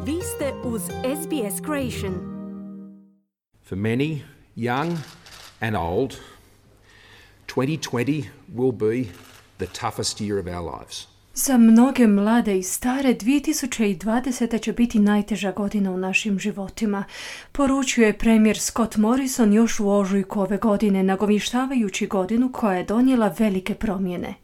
Vi ste uz SBS Creation. For many, young and old, 2020 will be the toughest year of our lives. Za mnoge mlade i stare, 2020. će biti najteža godina u našim životima, poručio je premijer Scott Morrison još u ožujku ove godine, nagovještavajući godinu koja je donijela velike promjene.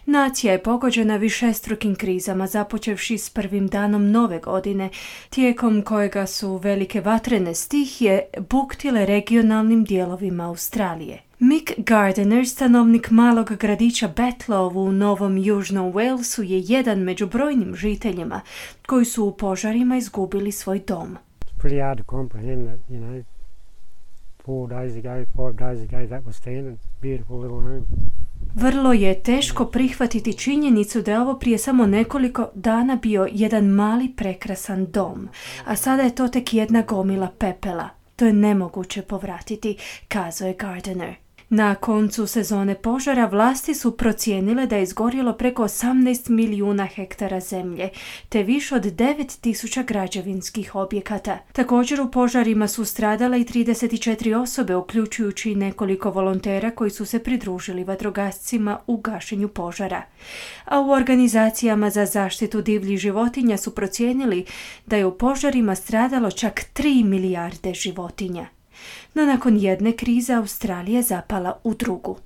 Nacija je pogođena višestrukim krizama, započevši s prvim danom nove godine, tijekom kojega su velike vatrene stihije buktile regionalnim dijelovima Australije. Mick Gardiner, stanovnik malog gradića Betlow u Novom Južnom Walesu, je jedan među brojnim žiteljima koji su u požarima izgubili svoj dom. It's pretty hard to comprehend that, 5 days ago that was standing, beautiful little room. Vrlo je teško prihvatiti činjenicu da je ovo prije samo nekoliko dana bio jedan mali prekrasan dom, a sada je to tek jedna gomila pepela. To je nemoguće povratiti, kazao je Gardiner. Na koncu sezone požara vlasti su procijenile da je izgorjelo preko 18 milijuna hektara zemlje, te više od 9.000 građevinskih objekata. Također u požarima su stradale i 34 osobe, uključujući nekoliko volontera koji su se pridružili vatrogascima u gašenju požara. A u organizacijama za zaštitu divljih životinja su procijenili da je u požarima stradalo čak 3 milijarde životinja. No nakon jedne krize Australija je zapala u drugu.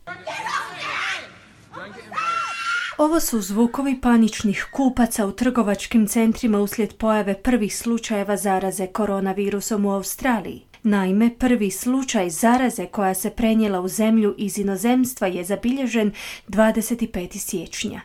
Ovo su zvukovi paničnih kupaca u trgovačkim centrima uslijed pojave prvih slučajeva zaraze koronavirusom u Australiji. Naime, prvi slučaj zaraze koja se prenijela u zemlju iz inozemstva je zabilježen 25. siječnja.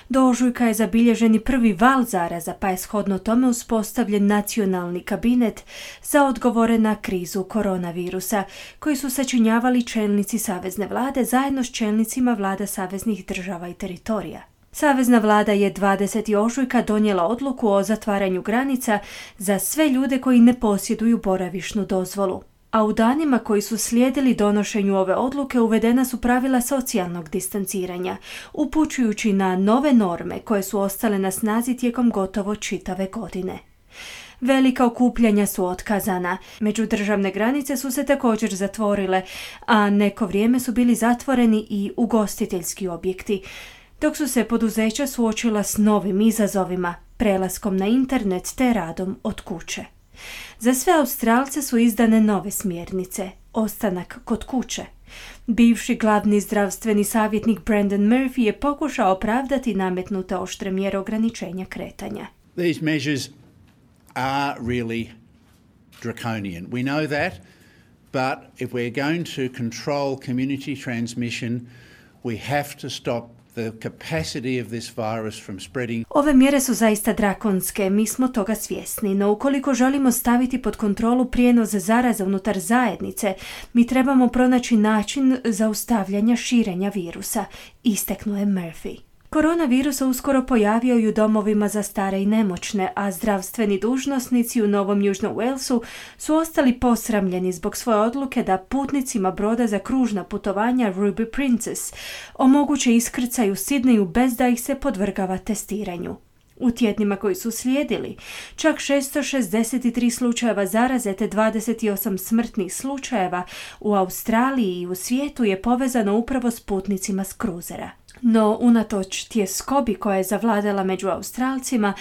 Do ožujka je zabilježen i prvi val zaraza, pa je shodno tome uspostavljen nacionalni kabinet za odgovore na krizu koronavirusa, koji su sačinjavali čelnici savezne vlade zajedno s čelnicima vlada saveznih država i teritorija. Savezna vlada je 20. ožujka donijela odluku o zatvaranju granica za sve ljude koji ne posjeduju boravišnu dozvolu. A u danima koji su slijedili donošenju ove odluke uvedena su pravila socijalnog distanciranja, upućujući na nove norme koje su ostale na snazi tijekom gotovo čitave godine. Velika okupljanja su otkazana, međudržavne granice su se također zatvorile, a neko vrijeme su bili zatvoreni i ugostiteljski objekti, dok su se poduzeća suočila s novim izazovima, prelaskom na internet te radom od kuće. Za sve Australce su izdane nove smjernice, ostanak kod kuće. Bivši glavni zdravstveni savjetnik Brendan Murphy je pokušao opravdati nametnute oštre mjere ograničenja kretanja. These measures are really draconian. We know that, but if we're going to control community transmission, we have to stop the capacity of this virus from spreading. Ove mjere su zaista drakonske, mi smo toga svjesni, no ukoliko želimo staviti pod kontrolu prijenos zaraze unutar zajednice, mi trebamo pronaći način zaustavljanja širenja virusa, istaknuo je Murphy. Koronavirus se uskoro pojavio i u domovima za stare i nemoćne, a zdravstveni dužnosnici u Novom Južnom Walesu su ostali posramljeni zbog svoje odluke da putnicima broda za kružna putovanja Ruby Princess omoguće iskrcaj u Sidneju bez da ih se podvrgava testiranju. U tjednima koji su slijedili, čak 663 slučajeva zaraze te 28 smrtnih slučajeva u Australiji i u svijetu je povezano upravo s putnicima s kruzera. No, unatoč tjeskobi koja je zavladala među Australcima,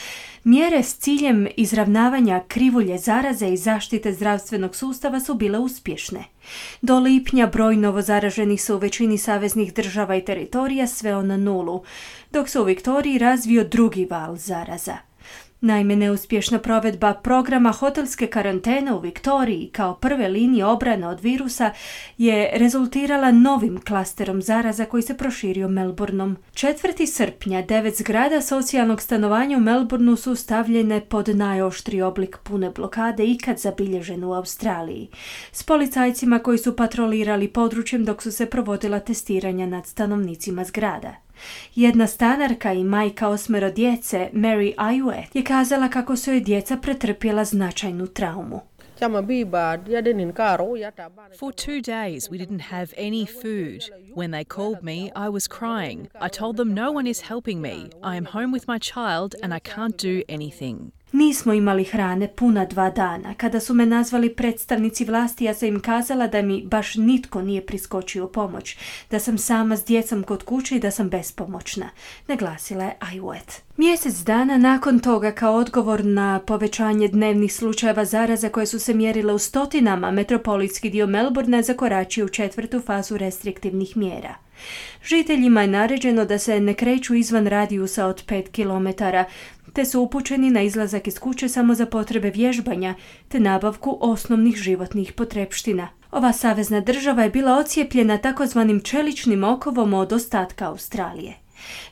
mjere s ciljem izravnavanja krivulje zaraze i zaštite zdravstvenog sustava su bile uspješne. Do lipnja broj novozaraženih se u većini saveznih država i teritorija sveo na 0, dok se u Viktoriji razvio drugi val zaraza. Naime, neuspješna provedba programa hotelske karantene u Viktoriji kao prve linije obrane od virusa je rezultirala novim klasterom zaraza koji se proširio Melbourneom. 4. srpnja 9 zgrada socijalnog stanovanja u Melbourneu su stavljene pod najoštriji oblik pune blokade ikad zabilježen u Australiji, s policajcima koji su patrolirali područjem dok su se provodila testiranja nad stanovnicima zgrada. Jedna stanarka i majka 8 djece, Mary Ayue, je kazala kako su joj djeca pretrpjela značajnu traumu. For 2 days we didn't have any food. When they called me, I was crying. I told them no one is helping me. I am home with my child and I can't do anything. Nismo imali hrane puna 2 dana. Kada su me nazvali predstavnici vlasti, ja sam im kazala da mi baš nitko nije priskočio u pomoć, da sam sama s djecom kod kuće i da sam bespomoćna, naglasila je Ayotte. Mjesec dana nakon toga, kao odgovor na povećanje dnevnih slučajeva zaraza koje su se mjerile u stotinama, metropolitski dio Melbourne zakoračio u 4. fazu restriktivnih mjera. Žiteljima je naređeno da se ne kreću izvan radijusa od 5 km, te su upućeni na izlazak iz kuće samo za potrebe vježbanja te nabavku osnovnih životnih potrepština. Ova savezna država je bila ocijepljena takozvanim čeličnim okovom od ostatka Australije.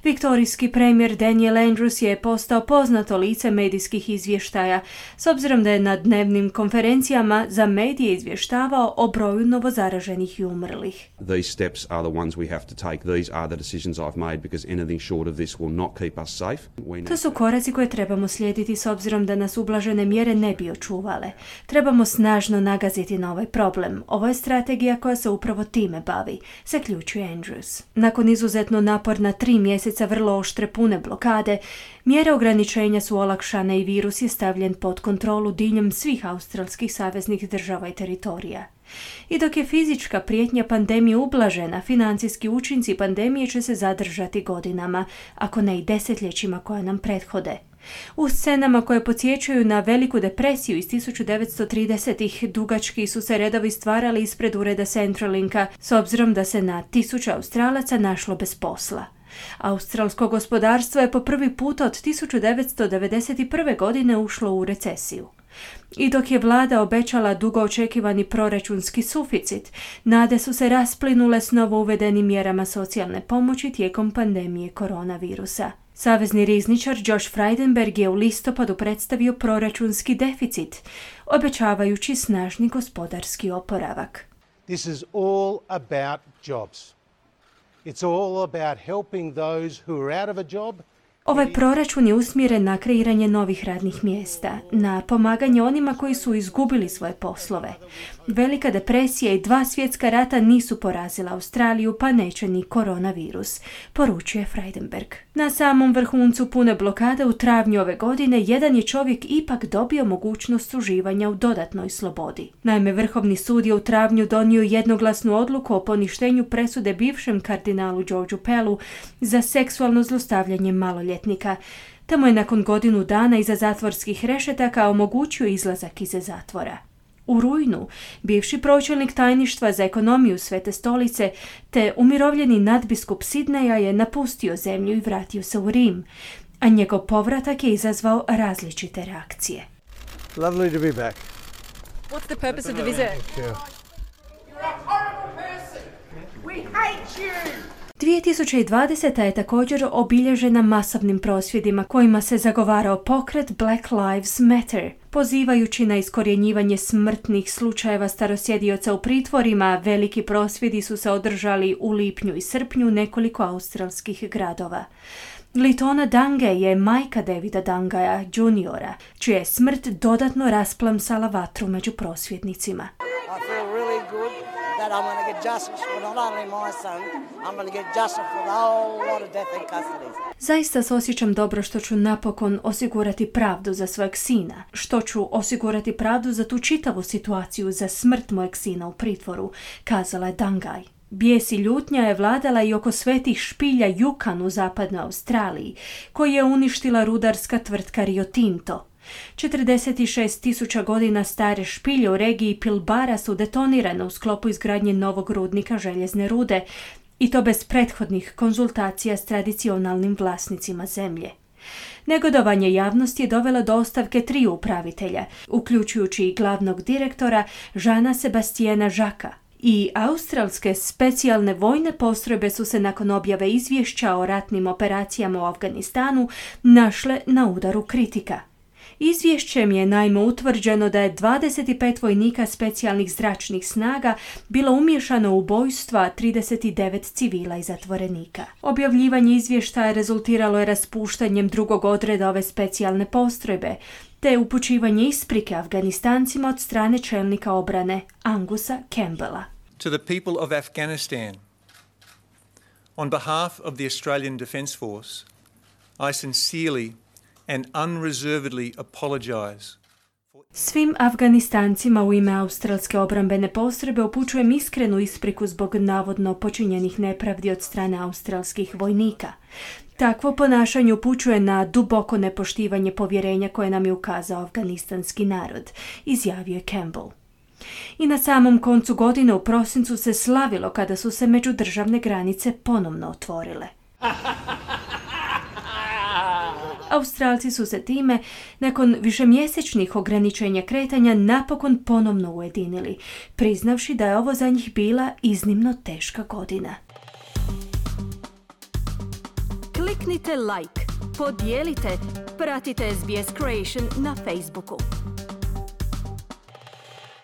Viktorijski premijer Daniel Andrews je postao poznato lice medijskih izvještaja, s obzirom da je na dnevnim konferencijama za medije izvještavao o broju novozaraženih i umrlih. These steps are the ones we have to take. These are the decisions I've made because anything short of this will not keep us safe. To su koraci koje trebamo slijediti s obzirom da nas ublažene mjere ne bi očuvale. Trebamo snažno nagaziti na ovaj problem. Ovo je strategija koja se upravo time bavi, zaključuje Andrews. Nakon izuzetno naporna 3 mjeseca vrlo oštre pune blokade, mjere ograničenja su olakšane i virus je stavljen pod kontrolu diljem svih australskih saveznih država i teritorija. I dok je fizička prijetnja pandemije ublažena, financijski učinci pandemije će se zadržati godinama, ako ne i desetljećima koja nam prethode. U scenama koje podsjećaju na Veliku depresiju iz 1930-ih dugački su se redovi stvarali ispred ureda Centralinka, s obzirom da se na 1000 Australaca našlo bez posla. Australsko gospodarstvo je po prvi put od 1991. godine ušlo u recesiju. I dok je vlada obećala dugo očekivani proračunski suficit, nade su se rasplinule s novo uvedenim mjerama socijalne pomoći tijekom pandemije koronavirusa. Savezni rizničar Josh Frydenberg je u listopadu predstavio proračunski deficit, obećavajući snažni gospodarski oporavak. This is all about jobs. It's all about helping those who are out of a job. Ovaj proračun je usmjeren na kreiranje novih radnih mjesta, na pomaganje onima koji su izgubili svoje poslove. Velika depresija i 2 svjetska rata nisu porazila Australiju, pa neće ni koronavirus, poručuje Frydenberg. Na samom vrhuncu pune blokade u travnju ove godine jedan je čovjek ipak dobio mogućnost uživanja u dodatnoj slobodi. Naime, Vrhovni sud je u travnju donio jednoglasnu odluku o poništenju presude bivšem kardinalu Georgeu Pellu za seksualno zlostavljanje maloljetnika. Tamo je nakon godinu dana iza zatvorskih rešetaka omogućio izlazak iz zatvora. U rujnu, bivši pročelnik tajništva za ekonomiju Svete stolice te umirovljeni nadbiskup Sidneja je napustio zemlju i vratio se u Rim, a njegov povratak je izazvao različite reakcije. Lovely to be back. What's the purpose of the visit? Yeah. 2020. je također obilježena masovnim prosvjedima kojima se zagovarao pokret Black Lives Matter. Pozivajući na iskorjenjivanje smrtnih slučajeva starosjedioca u pritvorima, veliki prosvjedi su se održali u lipnju i srpnju nekoliko australskih gradova. Litona Dange je majka Davida Dangaja juniora, čija je smrt dodatno rasplamsala vatru među prosvjednicima. I feel really good that I'm going to get justice for not only my son, I'm going to get justice for the whole lot of death in custody. Zaista se osjećam dobro što ću napokon osigurati pravdu za svojeg sina, što ću osigurati pravdu za tu čitavu situaciju za smrt mojeg sina u pritvoru, kazala je Dangaj. Bijes i ljutnja je vladala i oko svetih špilja Yukon u zapadnoj Australiji, koji je uništila rudarska tvrtka Rio Tinto. 46.000 godina stare špilje u regiji Pilbara su detonirane u sklopu izgradnje novog rudnika željezne rude, i to bez prethodnih konzultacija s tradicionalnim vlasnicima zemlje. Negodovanje javnosti je dovelo do ostavke 3 upravitelja, uključujući i glavnog direktora Jeana Sebastiana Jacquesa. I australske specijalne vojne postrojbe su se nakon objave izvješća o ratnim operacijama u Afganistanu našle na udaru kritika. Izvješćem je naime utvrđeno da je 25 vojnika specijalnih zračnih snaga bilo umiješano u ubojstva 39 civila i zatvorenika. Objavljivanje izvještaja rezultiralo je raspuštanjem drugog odreda ove specijalne postrojbe, te upućivanje isprike Afganistancima od strane čelnika obrane Angusa Campbella. To the people of Afghanistan, on behalf of the Australian Defence Force, I sincerely and unreservedly apologise. Svim Afganistancima u ime australske obrambene postrojbe upućujem iskrenu ispriku zbog navodno počinjenih nepravdi od strane australskih vojnika. Takvo ponašanje upućuje na duboko nepoštivanje povjerenja koje nam je ukazao afganistanski narod, izjavio je Campbell. I na samom koncu godine u prosincu se slavilo kada su se međudržavne granice ponovno otvorile. Australci su se time, nakon višemjesečnih ograničenja kretanja, napokon ponovno ujedinili, priznavši da je ovo za njih bila iznimno teška godina. Kliknite like, podijelite, pratite SBS Creation na Facebooku.